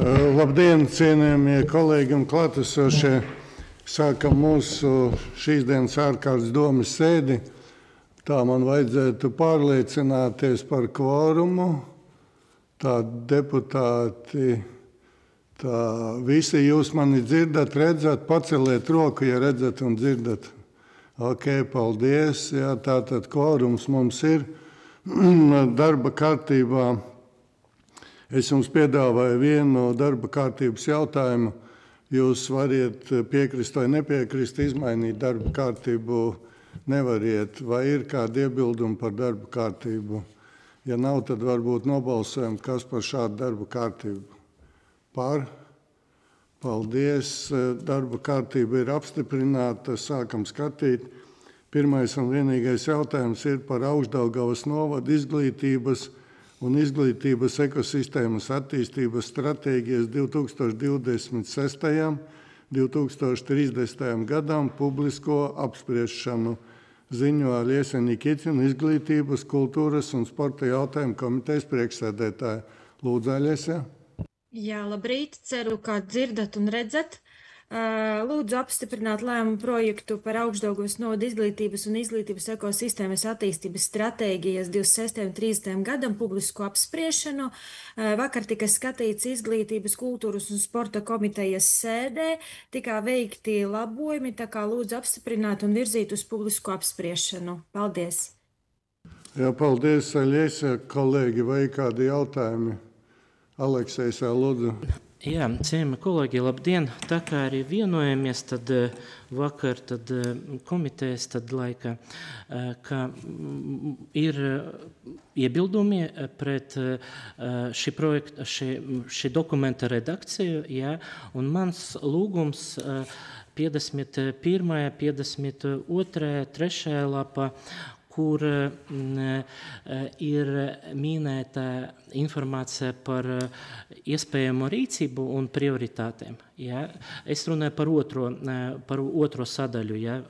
Labdien, cienījamie kolēģi un klātesošie! Sākam mūsu šīs dienas ārkārtas domas sēdi. Tā man vajadzētu pārliecināties par kvorumu. Tā deputāti, tā visi jūs mani dzirdat, redzat, paceliet roku, ja redzat un dzirdat. Ok, paldies. Jā, tātad kvorums mums ir darba kārtībā. Es jums piedāvāju vienu darba kārtības jautājumu. Jūs variet piekrist vai nepiekrist, izmainīt darba kārtību nevariet. Vai ir kādi iebildumi par darba kārtību? Ja nav, tad varbūt nobalsojam, kas par šādu darba kārtību. Par? Paldies. Darba kārtība ir apstiprināta. Sākam skatīt. Pirmais un vienīgais jautājums ir par Augšdaugavas novada izglītības un izglītības ekosistēmas attīstības stratēģijas 2026. 2030. gadam publisko apspriešanu. Ziņo Aliesa Nikitina, izglītības, kultūras un sporta jautājumu komitejas priekšsēdētāja. Lūdzu, Aliesa. Jā, labrīt. Ceru, ka dzirdat un redzat. Lūdzu apstiprināt lēmumu projektu par Augšdaugavas novada izglītības un izglītības ekosistēmas attīstības stratēģijas 26. un 30. gadam publisku apspriešanu. Vakar tika skatīts izglītības, kultūras un sporta komitejas sēdē. Tikā veikti labojumi, tā kā lūdzu apstiprināt un virzīt uz publisku apspriešanu. Paldies! Jā, paldies, Aļiesa. Kolēģi, vai kādi jautājumi? Aleksejs, lūdzu. Jā, cienījamie kolēģi, labdien! Tā kā arī vienojamies, tad vakar komitejas laika, ka ir iebildumi pret šī dokumenta redakciju, jā, un mans lūgums 51., 52., 3. lapa, kur ir minēta informācija par iespējamo rīcību un prioritātēm. Ja? Es runāju par otro sadaļu, ja?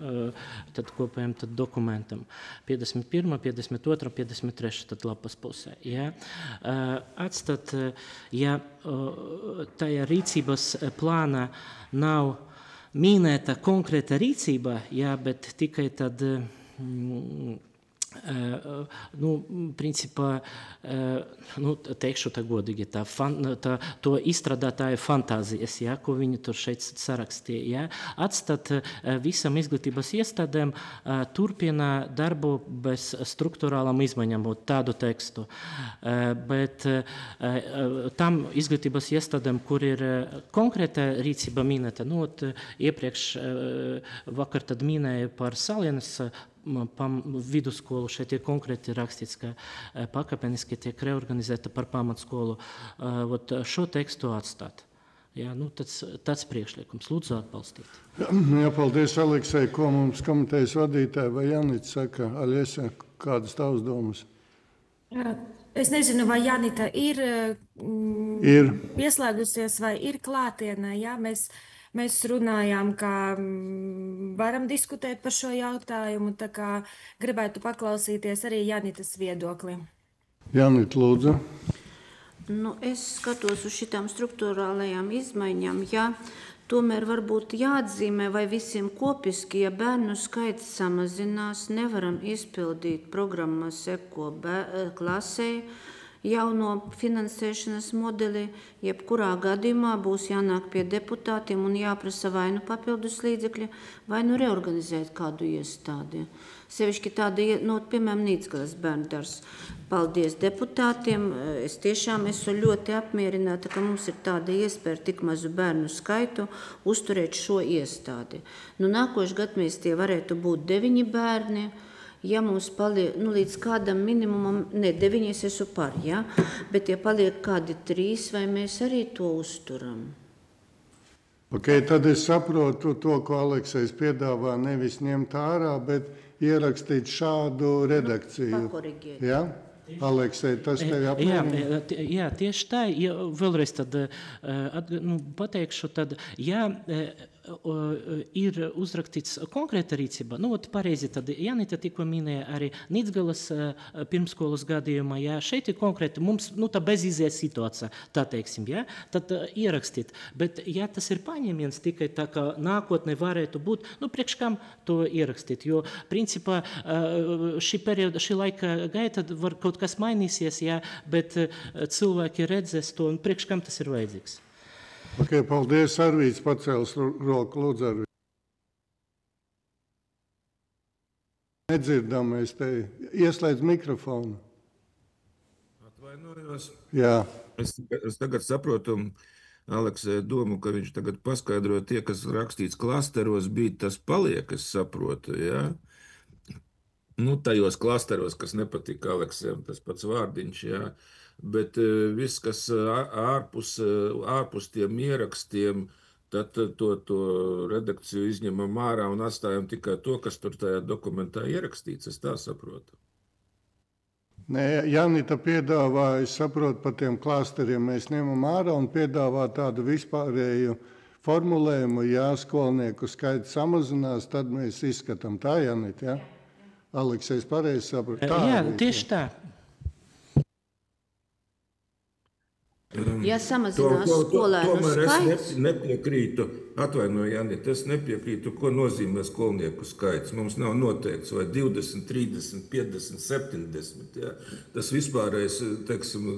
Tad kopējam dokumentam. 51., 52., 53. lapas pusē. Ja? Atstāt, ja tajā rīcības plāna nav minēta konkrēta rīcība, ja? Bet tikai tad principā, teikšu tā godīgi, to izstrādātāja fantāzijas, ja, ko viņi tur šeit sarakstīja. Ja, atstāt visam izglītības iestādēm turpina darbu bez struktūrālām izmaiņām, tādu tekstu. Bet tam izglītības iestādēm, kur ir konkrēta rīcība minēta, iepriekš vakar tad minēja par Salienas vidusskolu, šeit ir konkrēti rakstīts, ka pakāpeniski tiek reorganizēta par pamatskolu. Šo tekstu atstāt. Jā, tāds priekšlikums. Lūdzu atbalstīt. Jā, paldies, Aleksei. Ko mums komitejas vadītāja vai Janita saka? Aļiesa, kādas tavas domas? Es nezinu, vai Janita ir pieslēgusies vai ir klātienē. Jā, Mēs runājām, ka varam diskutēt par šo jautājumu, tā kā gribētu paklausīties arī Janitas viedokli. Janita, lūdzu. Es skatos uz šitām struktūrālajām izmaiņām, tomēr varbūt jāatzīmē, vai visiem kopiski, ja bērnu skaits samazinās, nevaram izpildīt programmas eko klasē, jauno finansēšanas modeli, jebkurā gadījumā būs jānāk pie deputātiem un jāprasa vai nu papildus līdzekļi, vai nu reorganizēt kādu iestādi. Sevišķi tāda, piemēram, Nīcgalas bērndārs. Paldies deputātiem. Es tiešām esmu ļoti apmierināta, ka mums ir tāda iespēja tik mazu bērnu skaitu uzturēt šo iestādi. Nākošais gads mēs tie varētu būt 9 bērni. Ja mums paliek līdz kādam minimumam, 9 es esmu par, bet ja paliek kādi 3, vai mēs arī to uzturam? Ok, tad es saprotu to, ko Aleksejs piedāvā, nevis ņemt ārā, bet ierakstīt šādu redakciju. Pakoriģēt. Ja? Aleksej, tas tevi apmierina? Jā, tieši tā. Vēlreiz tad pateikšu, tad, ir uzrakstīts konkrēta rīcība. Nu, pareizi, tad Janita tikko minēja arī Nīcgalas pirmskolas gadījumā, jā, šeit ir konkrēti mums, tā bezizies situācija, tā teiksim, jā, tad ierakstīt. Bet, ja tas ir paņēmiens tikai tā, kā nākotnē varētu būt, priekš kam to ierakstīt, jo, principā, šī laika gaita var kaut kas mainīsies, jā, bet cilvēki redzēs to, un priekš kam tas ir vajadzīgs. Ok, paldies, Arvīts pacēlis roku, lūdzu, Arvīts. Nedzirdam, mēs te ieslēdz mikrofonu. Atvainojos. Jā. Es tagad saprotu Aleksē domu, ka viņš tagad paskaidro tie, kas rakstīts klasteros, bija tas paliek, es saprotu, jā. Tajos klasteros, kas nepatika Aleksēm, tas pats vārdiņš, jā. Bet viss, kas ārpus tiem ierakstiem, tad to redakciju izņemam ārā un atstājam tikai to, kas tur tajā dokumentā ierakstīts, es tā saprotu. Nē, Janita piedāvā, es saprotu, par tiem klasteriem mēs ņemam ārā un piedāvā tādu vispārēju formulējumu, ja skolnieku skaits samazinās, tad mēs izskatām. Tā, Janita, ja? Aleksējs pareizi saprot. Jā, tieši tā. Ja samazinās skolēnu skaits. Es nepiekrītu, atvainoju, Janita, es nepiekrītu, ko nozīmē skolnieku skaits. Mums nav noteikts vai 20, 30, 50, 70. Jā. Tas vispārējais, teiksim,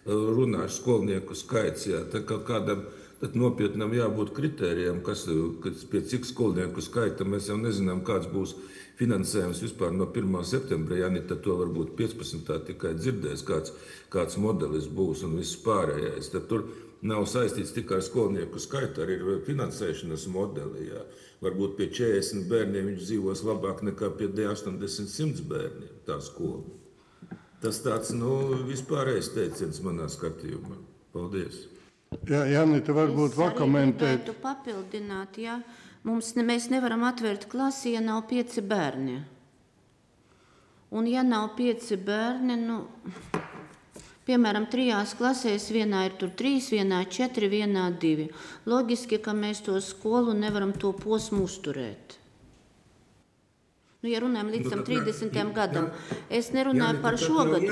runāšu skolnieku skaits. Jā. Tā kā kādam tad nopietnam jābūt kritērijam, pie cik skolnieku skaita mēs jau nezinām, kāds būs finansējums vispār no 1. septembra. Janita to varbūt 15. tikai dzirdēs, kāds modelis būs un viss pārējais. Tad tur nav saistīts tikai ar skolnieku skaitu, arī ir finansēšanas modeli. Jā. Varbūt pie 40 bērniem viņš dzīvos labāk nekā pie 80-100 bērniem, tā skola. Tas tāds, vispārējais teiciens manā skatījumā. Paldies. Jā, Janita, varbūt pakomentēt. Es gribētu papildināt, ja mēs nevaram atvērt klasi, ja nav 5 bērni. Un ja nav 5 bērni, piemēram, 3 klasēs, vienā ir tur 3, vienā 4, vienā 2. Loģiski, ka mēs to skolu nevaram to posmu uzturēt. Ja runājam līdz tam 30. gadam, es nerunāju par šo gadu.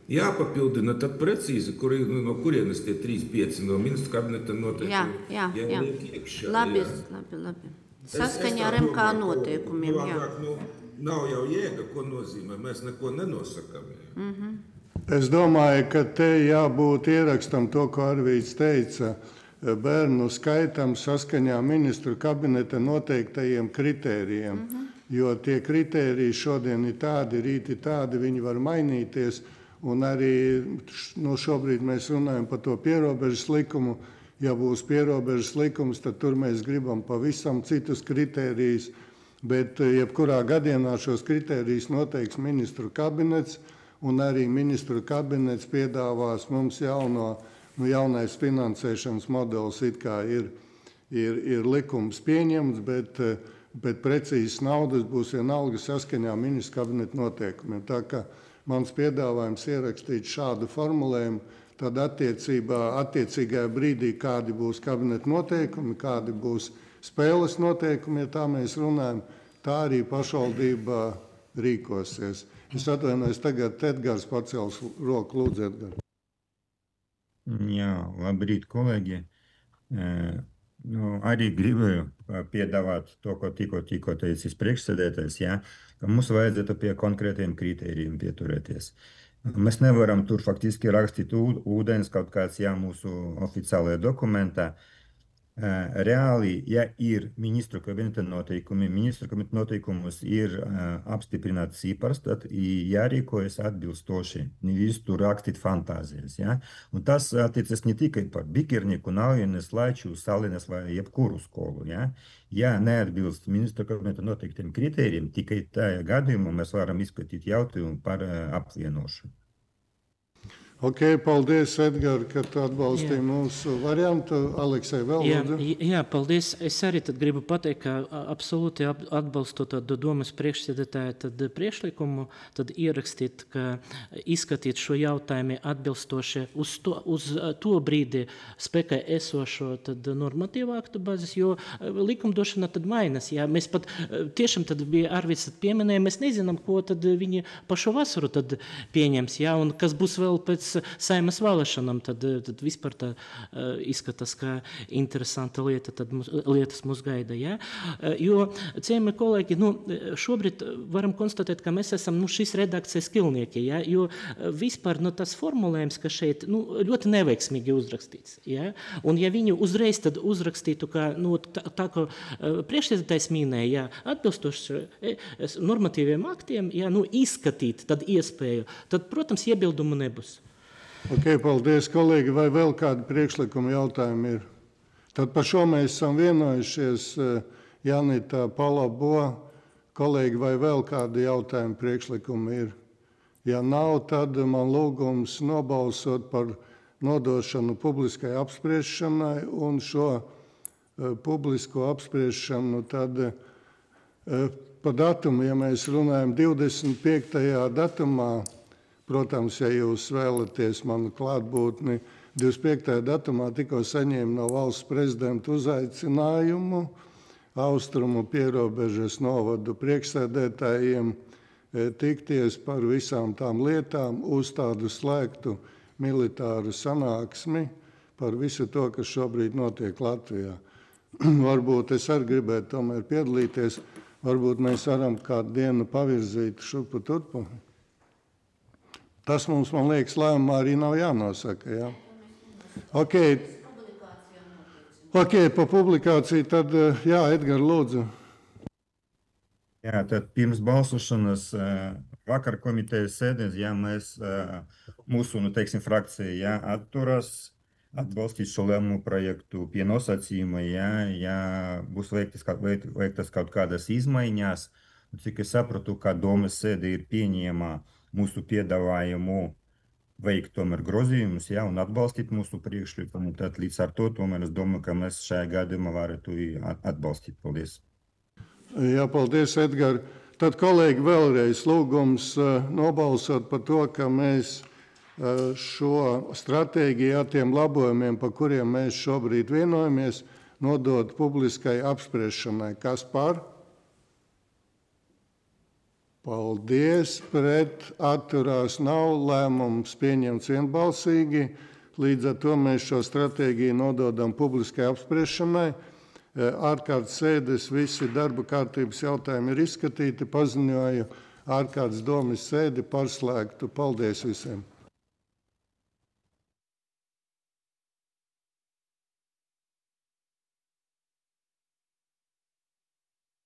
Jāpapildina tad precīzi, no kurienes tie 3-5 no ministra kabineta noteikumi. Jā. Iekšā, labi. Saskaņā ar MK noteikumiem, jā. Nav jau jēga, ko nozīmē, mēs neko nenosakam. Es domāju, ka te jābūt ierakstam to, ko Arvīts teica, bērnu skaitam saskaņā ministru kabineta noteiktajiem kritērijiem, jo tie kritēriji šodien ir tādi, rīt ir tādi, viņi var mainīties. Un arī šobrīd mēs runājam par to pierobežas likumu. Ja būs pierobežas likums, tad tur mēs gribam pavisam citus kritērijus. Bet jebkurā gadījumā šos kritērijus noteiks ministru kabinets, un arī ministru kabinets piedāvās mums jaunais finansēšanas modelis. It kā ir likums pieņemts, bet precīzas naudas būs vienalga saskaņā ministru kabineta noteikumiem. Tā kā mans piedāvājums ierakstīt šādu formulējumu, tad attiecīgajā brīdī, kādi būs kabineta noteikumi, kādi būs spēles noteikumi, ja tā mēs runājam, tā arī pašvaldība rīkosies. Es atvainojos, tagad Edgars pacels roku, lūdzu, Edgars. Jā, labrīt, kolēģi. Arī gribēju piedāvāt to, ko tikko teicis priekšsēdētājs, ka mums vajadzētu pie konkrētiem kritērijiem pieturēties. Mēs nevaram tur faktiski rakstīt ūdens kaut kāds mūsu oficiālajā dokumentā. Reāli, ja ir ministru kabineta noteikumi, ministru kabineta noteikumus ir apstiprināts cipars, tad jārīkojas atbilstoši, nevis tur rakstīt fantāzijas. Un tas attiecas ne tikai par Bikernieku, Naujienes, Laiču, Salines vai jebkuru skolu. Ja neatbilst ministru kabineta noteiktiem kritērijiem, tikai tajā gadījumā mēs varam izskatīt jautājumu par apvienošanu. Ok, paldies, Edgar, ka tu atbalstīji mūsu variantu. Aleksei, vēl lūdzu. Jā, paldies. Es arī tad gribu pateikt, ka absolūti atbalstu tādu domas priekšsēdētāju priekšlikumu, tad ierakstīt, ka izskatīt šo jautājumu atbilstoši uz to brīdi spēkā esošo tad normatīvu aktu bāzes, jo likumdošana tad mainas. Jā, mēs pat tiešām tad bija Arvids pieminēja, mēs nezinām, ko tad viņi pa šo vasaru tad pieņems, jā, un kas būs vēl pēc Saimas vēlēšanām, tad vispār tā izskatās, ka interesanta lieta, tad lietas mūs gaida, jā. Jo, cienījamie kolēģi, šobrīd varam konstatēt, ka mēs esam, šīs redakcijas kilnieki, jā, jo vispār, tas formulējums, ka šeit, ļoti neveiksmīgi uzrakstīts, jā, un ja viņi uzreiz tad uzrakstītu, ka, tā, ko priekšsēdētājs minēja, jā, atbilstoši normatīviem aktiem, jā, izskatīt tad iespēju, tad, protams, iebildumu nebūs. Ok, paldies, kolēģi. Vai vēl kādi priekšlikumi jautājumi ir? Tad par šo mēs esam vienojušies. Janita, Palabo, kolēģi, vai vēl kādi jautājumi priekšlikumi ir? Ja nav, tad man lūgums nobalsot par nodošanu publiskai apspriešanai un šo publisko apspriešanu tad pa datumu, ja mēs runājam 25. datumā, protams, ja jūs vēlaties manu klātbūtni, 25. datumā tikko saņēmu no valsts prezidenta uzaicinājumu Austrumu pierobežas novadu priekšsēdētājiem tikties par visām tām lietām uz tādu slēgtu militāru sanāksmi par visu to, kas šobrīd notiek Latvijā. Varbūt es arī gribētu tomēr piedalīties, varbūt mēs varam kādu dienu pavirzīt šurpu turpu. Tas mums, man liekas, lēmumā arī nav jānosaka. Jā. Ok, pa publikāciju tad, jā, Edgar, lūdzu. Jā, tad pirms balsošanas vakar komitejas sēdēs, jā, mēs, mūsu, frakcija, jā, atturas atbalstīt šo lēmumu projektu pie nosacījuma, jā, būs veiktas kaut kādas izmaiņas. Cik es sapratu, ka domas sēde ir pieņēma mūsu piedāvājumu veikt tomēr grozījumus, jā, un atbalstīt mūsu priekšlikumu. Tad līdz ar to tomēr es domāju, ka mēs šajā gadījumā varētu atbalstīt. Paldies. Jā, paldies, Edgar. Tad, kolēģi, vēlreiz lūgums nobalsot par to, ka mēs šo stratēģiju ar tiem labojumiem, par kuriem mēs šobrīd vienojamies, nodot publiskai apspriešanai. Kas par? Paldies, pret atturās nav, lēmums pieņemts vienbalsīgi. Līdz ar to mēs šo stratēģiju nododam publiskai apspriešanai. Ārkārtas sēdes visi darba kārtības jautājumi ir izskatīti, paziņoju ārkārtas domes sēdi par slēgtu. Paldies visiem!